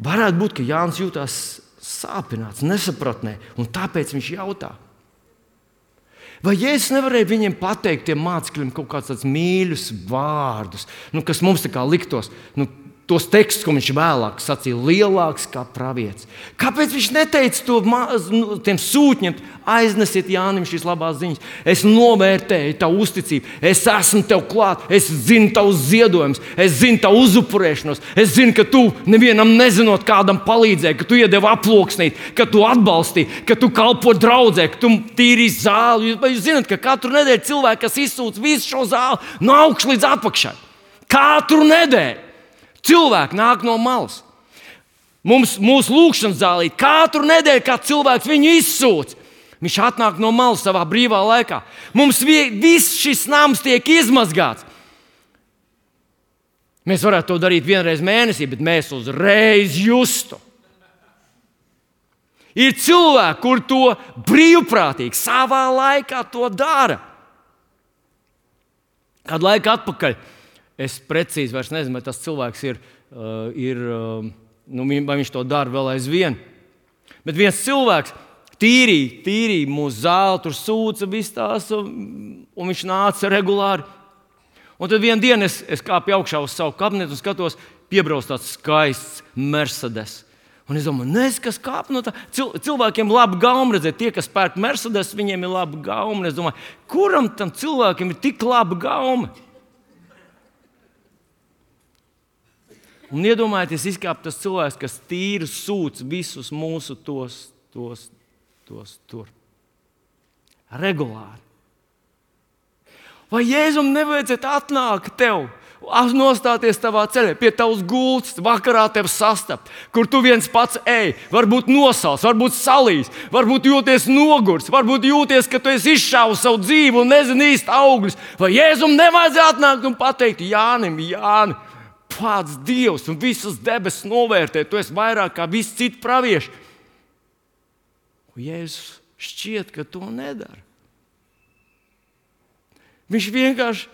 Varētu būt, ka Jānis jūtās sāpināts, nesapratnē, un tāpēc viņš jautā. Vai Jēzus nevarēja viņiem pateikt, tiem mācekļiem, kaut kādus tādus mīļus vārdus, nu, kas mums tā kā liktos, nu, tos tekstus, ko viņš vēlāk sacīja, lielāks kā pravietis. Kāpēc viņš neteica to maz, nu, tiem sūtņiem, aiznesiet Jānim šīs labās ziņas? Es novērtēju tavu uzticību, es esmu tev klāt, es zinu tavus ziedojumus, es zinu tavu uzupurēšanos, es zinu, ka tu nevienam nezinot kādam palīdzēji, ka tu iedevi aploksnīt, ka tu atbalstīji, ka tu kalpo draudzē, ka tu tīrīji zāli. Vai jūs zināt, ka katru nedēļu cilvēki, kas izsūc visu šo zāli no augšas līdz apakšai? Katru nedēļu. Cilvēki nāk no malas. Mums, mūsu lūkšanas zālī katru nedēļu, kā cilvēks viņu izsūc, viņš atnāk no malas savā brīvā laikā. Mums viss šis nams tiek izmazgāts. Mēs varētu to darīt vienreiz mēnesī, bet mēs uzreiz justu. Ir cilvēki, kur to brīvprātīgi savā laikā to dara. Kādu laiku atpakaļ. Es precīzi vairs nezinu, vai tas cilvēks ir, uh, ir uh, nu, vai viņš to dara vēl aizvien. Bet viens cilvēks tīrīja, tīrīja mūsu zāli, tur sūca viss tās, un, un viņš nāca regulāri. Un tad vienā dienā es, es kāpu augšā uz savu kabinetu un skatos, piebrauc tāds skaists Mercedes. Un es domāju, nezinu, kas kāp no tā. Cil, cilvēkiem labi gauma redzēt, tie, kas pērk Mercedes, viņiem ir labi gauma. Es domāju, kuram tam cilvēkiem ir tik laba gauma? Un iedomājieties, izkāp tas cilvēks, kas tīri sūc visus mūsu tos, tos, tos tur. Regulāri. Vai Jēzum nevajadzētu atnākt tev, nostāties tavā ceļā, pie tavas gultas, vakarā tev sastapt, kur tu viens pats ej, varbūt nosals, varbūt salīs, varbūt jūties nogurs, varbūt jūties, ka tu esi izšāvis savu dzīvi un nezini īsti augļus. Vai Jēzum nevajadzētu atnākt un pateikt Jānim, Jāni, pats Dievs un visas debesis novērtē, tu esi vairāk kā visi citi pravieši. Un Jēzus šķiet, ka to nedara. Viņš vienkārši,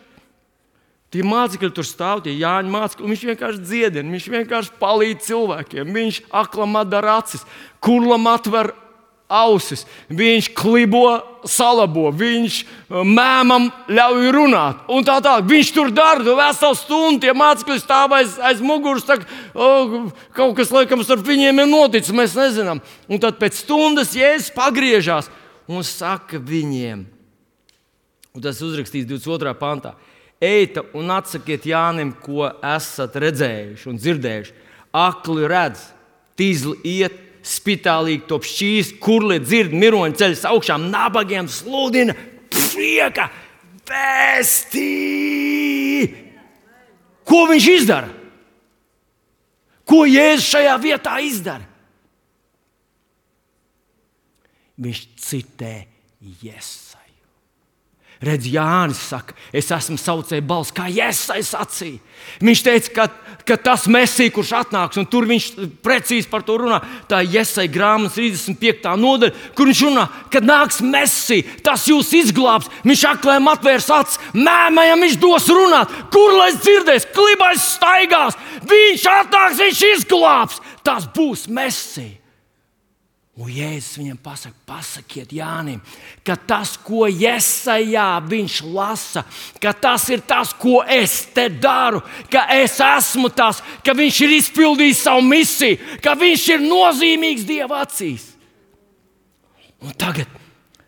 tie mācekļi tur stāv, tie Jāņa mācekļi, un viņš vienkārši dziedina, viņš vienkārši palīdz cilvēkiem, viņš aklam atdara acis, kurlam atver ausis, viņš klibo, salabo, viņš mēmam ļauj runāt. Un tā tā, viņš tur dara, tu veselu stundu, tie mācekļi stāv aiz, aiz muguras, tā, oh, kaut kas laikam starp viņiem ir noticis, mēs nezinām. Un tad pēc stundas Jēzus pagriežās un saka viņiem, un tas uzrakstīts divdesmit otrā pantā, eita un atsakiet Jānim, ko esat redzējuši un dzirdējuši. Akli redz, tīzli iet, spitālīgi top šķīst, kurli dzird, miroņi ceļas augšām, nabagiem sludina prieka vēstī. Ko viņš izdara? Ko Jēzus šajā vietā izdara? Viņš citē Jesaju. Redz, Jānis saka, es esmu saucēja balss, kā Jesaja sacīja. Viņš teica, ka, ka tas Mesija, kurš atnāks, un tur viņš precīzi par to runā, tā ir Jesaja grāmatas trīsdesmit piekta nodaļa, kur viņš runā, kad nāks Mesija, tas jūs izglābs, viņš aklēm atvērs acis, mēmējam viņš dos runāt, kurlais dzirdēs, klibais staigās, viņš atnāks, viņš izglābs, tas būs Mesija. Un Jēzus viņam pasaka, pasakiet Jānim, ka tas, ko Jesajā viņš lasa, ka tas ir tas, ko es te daru, ka es esmu tas, ka viņš ir izpildījis savu misiju, ka viņš ir nozīmīgs Dieva acīs. Un tagad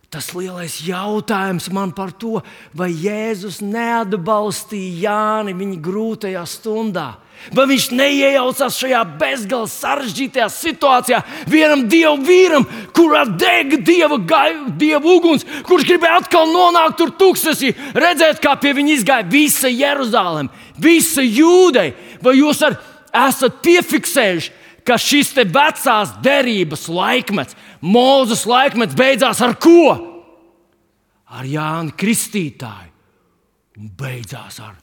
tas lielais jautājums man par to, vai Jēzus neatbalstīja Jāni viņa grūtajā stundā. Vai viņš neiejaucās šajā bezgalīgi sarežģītajā situācijā vienam dievu vīram, kurā deg dieva, dieva uguns, kurš gribēja atkal nonākt tur tūkstnesī, redzēt, kā pie viņa izgāja visa Jeruzalem, visa Jūdeja. Vai jūs ar, esat piefiksējuši, ka šis te vecās derības laikmets, Mūzes laikmets beidzās ar ko? Ar Jāni Kristītāju un beidzās ar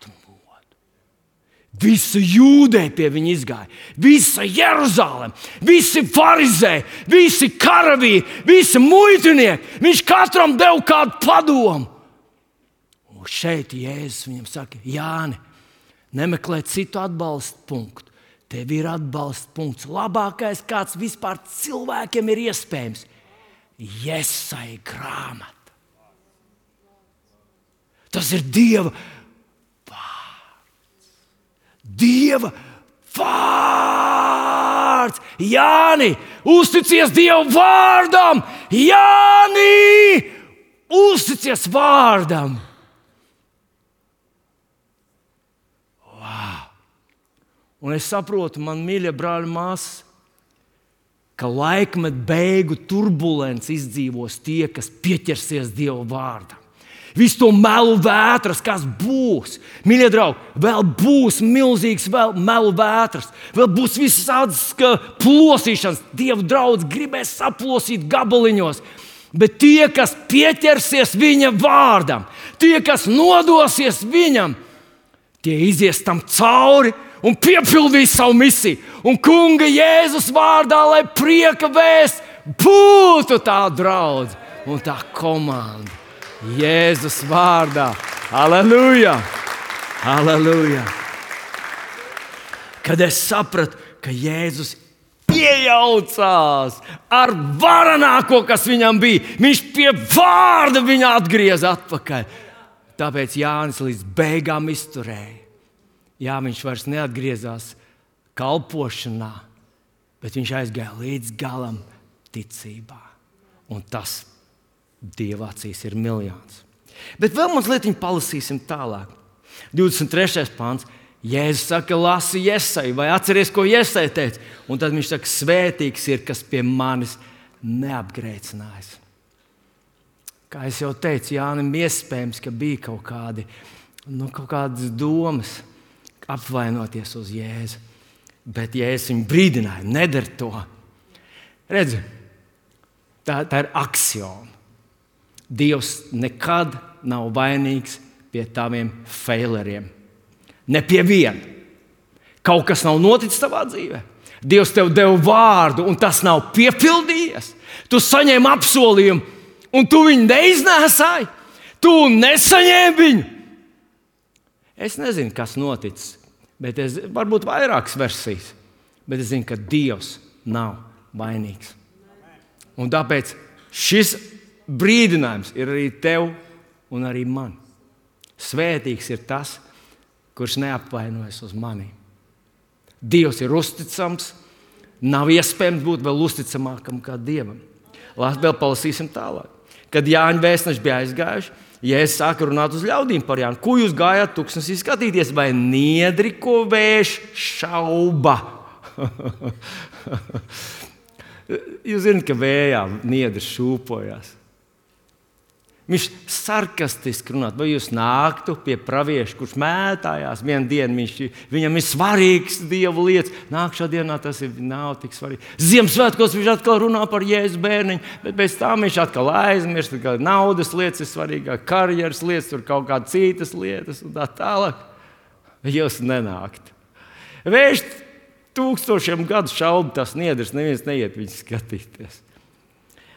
platu modu. Visa Jūdeja pie viņa izgāja, visa Jeruzalem, visi farizēji, visi karavīri, visi muitinieki. Viņš katram deva kādu padomu. Un šeit Jēzus viņam saka, Jāni, nemeklē citu atbalstu punktu. Tev ir atbalsta punkts. Labākais, kāds vispār cilvēkiem ir iespējams. Jesaja grāmata. Tas ir Dieva vārds. Dieva vārds. Jāni, uzticies Dieva vārdam. Jāni, uzticies vārdam. Un es saprotu, man mīļie brāļi, māsas, ka laikmet beigu turbulence izdzīvos tie, kas pieķersies Dieva vārdam. Visu to melu vētras, kas būs. Mīļie draugi, vēl būs milzīgs vēl melu vētras. Vēl būs visādas plosīšanas. Dieva draudz gribēs saplosīt gabaliņos. Bet tie, kas pieķersies viņa vārdam, tie, kas nodosies viņam, tie izies tam cauri un piepildīs savu misiju. Un Kunga Jēzus vārdā, lai prieka vēsts būtu tā draudze un tā komanda. Jēzus vārdā. Halleluja! Halleluja! Kad es sapratu, ka Jēzus iejaucās ar varenāko, kas viņam bija, viņš pie vārda viņu atgrieza atpakaļ. Tāpēc Jānis līdz beigām izturēja. Jā, viņš vairs neatgriezās kalpošanā, bet viņš aizgāja līdz galam ticībā. Un tas Dieva acīs ir miljons. Bet vēl mazliet palasīsim tālāk. divdesmit trešais pants. Jēzus saka, lasi Jesaju, vai atceries, ko Jesaja teica? Un tad viņš saka, svētīgs ir, kas pie manis neapgrēcinājis. Kā es jau teicu, Jānim iespējams, ka bija kaut kādi, nu, kaut kādas domas apvainoties uz Jēzu. Bet Jēzus viņu brīdināja, nedara to. Redzi, tā, tā ir aksioma. Dievs nekad nav vainīgs pie taviem faileriem. Ne pie viena. Kaut kas nav noticis tavā dzīvē. Dievs tev deva vārdu, un tas nav piepildījies. Tu saņēmi apsolījumu, un tu viņu neiznēsāji. Tu nesaņēmi viņu. Es nezinu, kas noticis, bet es varbūt vairākas versijas. Bet es zinu, ka Dievs nav vainīgs. Un tāpēc šis brīdinājums ir arī tev un arī man. Svētīgs ir tas, kurš neapvainojas uz mani. Dievs ir uzticams. Nav iespējams būt vēl uzticamākam kā Dievam. Vēl palasīsim tālāk. Kad Jāņa vēstneši bija aizgājuši, Jēzus sāka runāt uz ļaudīm par Jānu. Ko jūs gājāt tuksnesī skatīties? Vai niedri, ko vējš šauba? Jūs zināt, ka vējā niedri šūpojās. Viņš sarkastiski runā, vai jūs nāktu pie pravieša, kurš mētājās vienu dienu, viņš, viņam ir svarīgs Dieva lietas. Nākšā dienā tas ir, nav tik svarīgi. Ziemassvētkos viņš atkal runā par Jēzus bērniņu, bet pēc tam viņš atkal aizmirst, ka naudas lietas ir svarīgāk, karjeras lietas, tur kaut kādas citas lietas un tā tālāk. Jūs nenākt. Vējš tūkstošiem gadu šaubu tas niedrs, neviens neiet viņu skatīties.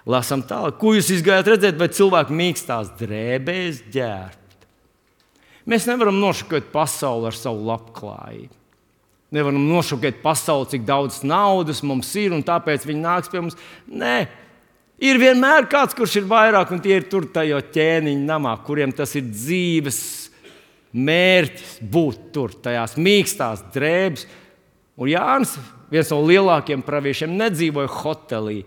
Lasām tālāk, ko jūs izgājāt redzēt, vai cilvēki mīkstās drēbēs ģērbt. Mēs nevaram nošokēt pasauli ar savu labklājību. Nevaram nošokēt pasauli, cik daudz naudas mums ir, un tāpēc viņi nāks pie mums. Nē, ir vienmēr kāds, kurš ir vairāk, un tie ir tur tajā ķēniņa namā, kuriem tas ir dzīves mērķis būt tur, tajās mīkstās drēbes. Un Jānis, viens no lielākiem praviešiem, nedzīvoja hotelī.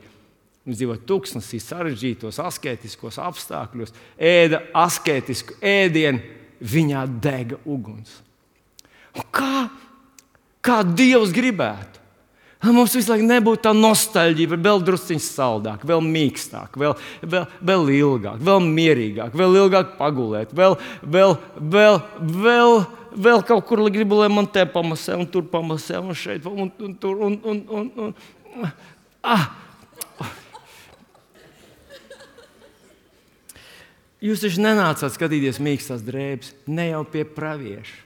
Viņš dzīvoja tuksnesī, sarežģītos, asketiskos apstākļos, ēda asketisku ēdienu, viņā dega uguns. Un kā, kā Dievs gribētu? Lai mums visu laiku nebūtu tā nostalģija, vēl drusciņš saldāk, vēl mīkstāk, vēl, vēl, vēl ilgāk, vēl mierīgāk, vēl ilgāk pagulēt, vēl, vēl, vēl, vēl, vēl kaut kur gribu, lai man te pamasē, un tur pamasē, un šeit, un, un tur, un, un, un, un. Ah! Jūs taču nenācāt skatīties mīkstās drēbes, ne jau pie pravieša.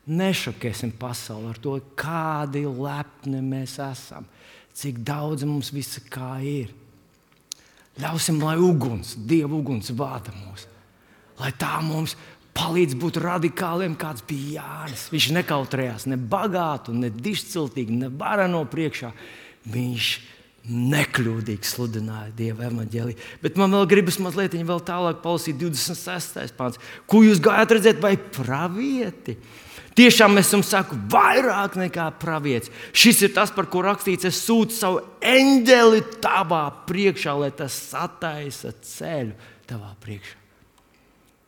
Nešokēsim pasauli ar to, kādi lepni mēs esam, cik daudz mums visa kā ir. Ļausim, lai uguns, Dieva uguns vada mūs, lai tā mums palīdz būt radikāliem, kāds bija Jānis. Viņš nekautrējās ne bagātu, ne dišciltīgi, ne varano priekšā. Viņš nekļūdīgi sludināja Dieva evaņģēliju. Bet man vēl gribas mazliet vēl tālāk palasīt divdesmit sestais pāns. Ko jūs gājat redzēt, vai pravieti? Tiešām es jums saku, vairāk nekā pravietis. Šis ir tas, par ko rakstīts, es sūtu savu eņģeli tavā priekšā, lai tas sataisa ceļu tavā priekšā.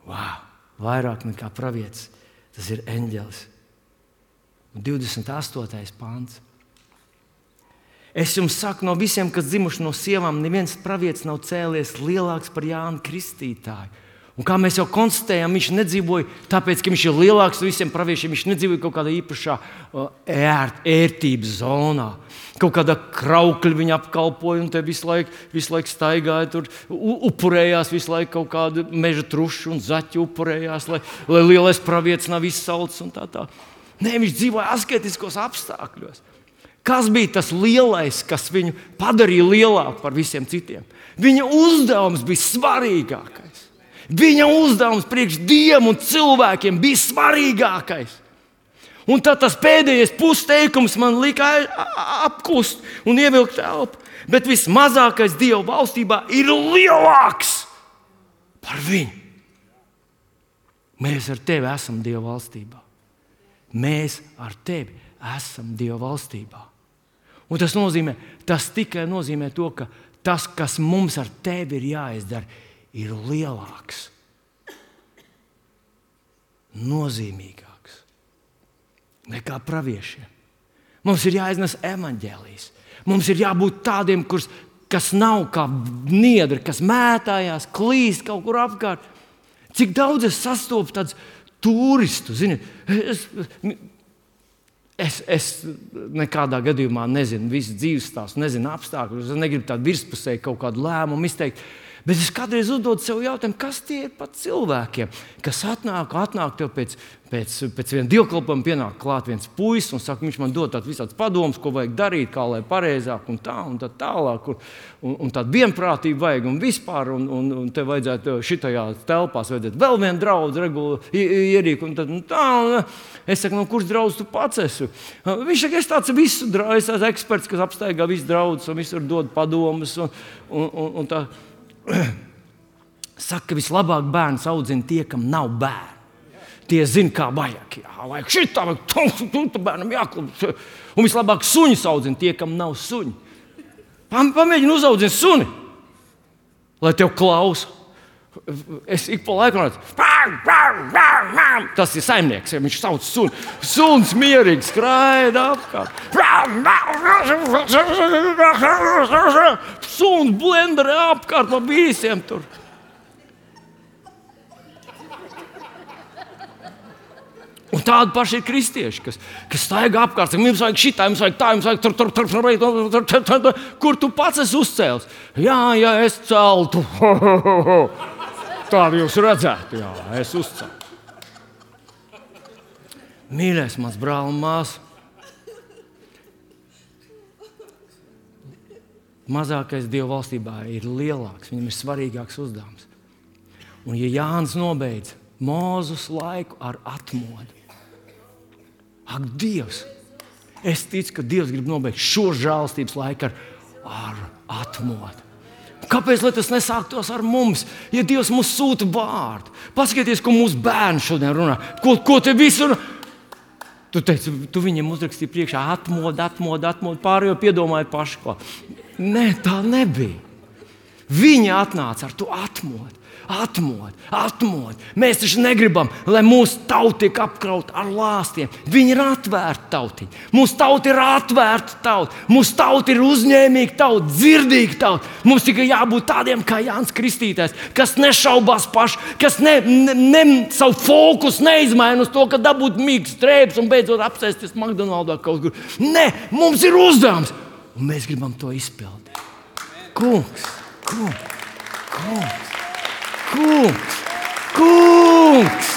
Wow, vairāk nekā pravietis. Tas ir eņģelis. divdesmit astotais pāns. Es jums saku, no visiem, kas dzimuši no sievām, neviens pravietis nav cēlies lielāks par Jānu Kristītāju. Un kā mēs jau konstatējām, viņš nedzīvoja tāpēc, ka viņš ir lielāks par visiem praviešiem. Viņš nedzīvoja kaut kādā īpašā ērt, ērtības zonā. Kaut kādā kraukļa viņa apkalpoja un te visu laiku, visu laiku staigāja, tur upurējās visu laiku kaut kādu meža trušu un zaķi upurējās, lai, lai lielais pravietis nav izsalcis un tā tā. Nē, viņš dzīvoja asketiskos apstākļos. Kas bija tas lielais, kas viņu padarīja lielāku par visiem citiem? Viņa uzdevums bija svarīgākais. Viņa uzdevums priekš Dievam un cilvēkiem bija svarīgākais. Un tad tas pēdējais pusteikums man lika apkust un ievilkt elpu. Bet vismazākais Dieva valstībā ir lielāks par viņu. Mēs ar tevi esam Dieva valstībā. Mēs ar tevi esam Dieva valstībā. Un tas nozīmē, tas tikai nozīmē to, ka tas, kas mums ar tevi ir jāizdara, ir lielāks, nozīmīgāks nekā praviešiem. Mums ir jāiznes evaņģēlijs. Mums ir jābūt tādiem, kurs, kas nav kā niedri, kas mētājās, klīst kaut kur apkārt. Cik daudz es sastopu tādus turistu, zini, es, es, es nekādā gadījumā nezinu visu dzīves stāstu, nezinu apstākļus, es negribu tādu virspusēju kaut kādu lēmumu izteikt. Bet es kādreiz uzdodu sev jautājumu, kas tie ir pat cilvēkiem, kas atnāk, atnāk tev pēc, pēc, pēc viena dievkalpojuma, pienāk klāt viens puisis un saka, viņš man dod tādu visāds padomus, ko vajag darīt, kā lai pareizāk un tā un tā tālāk. Un, un, un tādu vienprātību vajag un vispār, un, un, un te vajadzētu šitajā telpās vajadzētu vēl vienu draudzi regulu ierīku un tad un tā. Un, es saku, no kurš draudz tu pats esi? Viņš saka, es tāds visu draudz, es esmu eksperts, kas apstaigā visu draudzes un visur dod padomus un, un, un, un tā. Saka, ka vislabāk bērns audzina tie, kam nav bērni. Tie zina, kā vajag. Jā, vajag šitā, vajag tā bērnam jāklub. Un vislabāk suņus audzina tie, kam nav suņi. Pamēģini uzaudzīt suni, lai tev klausa. Es ik pa laiku runāju, tas ir saimnieks, ja viņš sauc suni. Suns mierīgi skraida apkārt. Suns blenderē apkārt pa visiem tur. Un tādi paši ir kristieši, kas, kas staigā apkārt, saka, mums vajag šitā, mums vajag tā, mums vajag tur, tur, tur, tur, tur, tur, tur, tur, kur tu pats esi uzcēlis? Jā, jā, es celtu. Tādu jūs redzētu, jā, es uzcēlu. Mīļais mans brāl un māsa. Mazākais Dieva valstībā ir lielāks, viņam ir svarīgāks uzdevums. Un ja Jānis nobeidz Mūzus laiku ar atmodu, ak, Dievs, es ticu, ka Dievs grib nobeigt šo žēlstības laiku ar, ar atmodu. Kāpēc lai tas nesāktos ar mums, ja Dievs mums sūta vārdu? Paskaties, ko mūsu bērni šodien runā. Ko, ko te visur? Tu teici, tu viņiem uzrakstīji priekšā atmodu, atmodu, atmodu, pārējo piedomāji paši ko. Nē, tā nebija. Viņi atnāca ar to atmodu. Atmod, atmod. Mēs taču negribam, lai mūsu tauta tiek apkrauta ar lāstiem. Viņi ir atvērti tautiņi. Mūsu tauta ir atvērta tauta. Mūsu tauta ir uzņēmīga tauta, dzirdīga tauta. Mums tikai jābūt tādiem kā Jānis Kristītājs, kas nešaubās paši, kas ne, ne, ne, savu fokusu neizmaina uz to, ka dabūt mīgs strēps un beidzot apsēsties McDonaldā kaut kur. Nē, mums ir uzdevums, un mēs gribam to izpildīt. Kungs, kungs, kungs. Kungs, kungs,